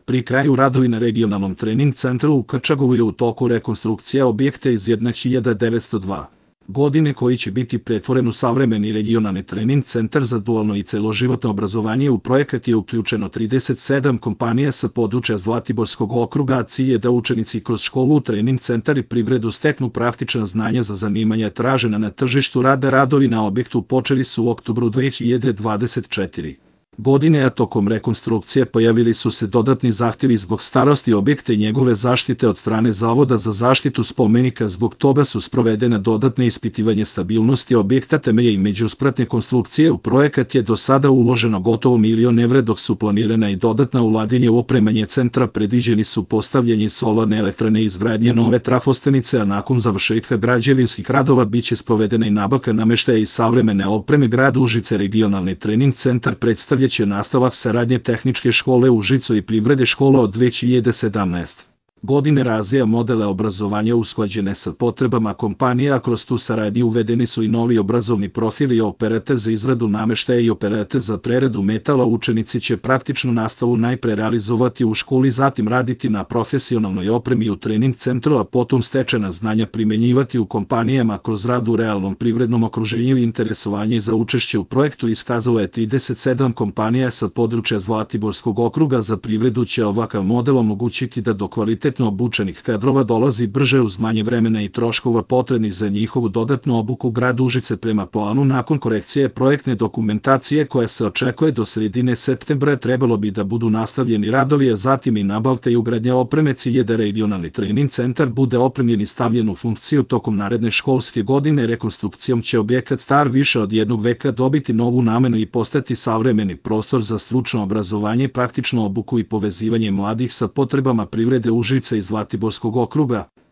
Pri kraju radovi na regionalnom trening centru u Krčagovu je u toku rekonstrukcija objekta iz 1902. godine koji će biti pretvoren u savremeni regionalni trening centar za dualno i celoživotno obrazovanje. U projekat je uključeno 37 kompanija sa područja Zlatiborskog okruga, a cilj je da učenici kroz školu, trening centar i privredu steknu praktična znanja za zanimanja tražena na tržištu rada. Radovi na objektu počeli su u oktobru 2024. godine, a tokom rekonstrukcije pojavili su se dodatni zahtjevi zbog starosti objekta i njegove zaštite od strane Zavoda za zaštitu spomenika. Zbog toga su sprovedene dodatne ispitivanje stabilnosti objekta, temelje i međuspratne konstrukcije. U projekat je do sada uloženo gotovo €1.000.000, dok su planirana i dodatna ulaganja u opremanje centra. Predviđeni su postavljanje solarne elektrane i izgradnje nove trafostanice, a nakon završetka građevinskih radova biće sprovedena i nabavka nameštaja i savremene opreme. Grad Užice regionalni trening centar predstavlja će nastavak saradnje Tehničke škole Užice i Privredne škole od 2017. godine razvija modele obrazovanja usklađene sa potrebama kompanija, a kroz tu saradnju uvedeni su i novi obrazovni profili: operater za izradu nameštaja i operater za preradu metala. Učenici će praktičnu nastavu najpre realizovati u školi, zatim raditi na profesionalnoj opremi u trening centru, a potom stečena znanja primenjivati u kompanijama kroz rad u realnom privrednom okruženju. Interesovanje za učešće u projektu iskazalo je 37 kompanija sa područja Zlatiborskog okruga. Za privredu će ovakav model omogućiti da do kvalitetno obučenih kadrova dolazi brže uz manje vremena i troškova potrebnih za njihovu dodatnu obuku. Grad Užice prema planu, nakon korekcije projektne dokumentacije koja se očekuje do sredine septembra, trebalo bi da budu nastavljeni radovi, a zatim i nabavka i ugradnja opreme. Cilj je da regionalni trening centar bude opremljen i stavljen u funkciju tokom naredne školske godine. Rekonstrukcijom će objekat star više od jednog veka dobiti novu namenu i postati savremeni prostor za stručno obrazovanje, praktičnu obuku i povezivanje mladih sa potrebama privrede Užice i Zlatiborskog okruga.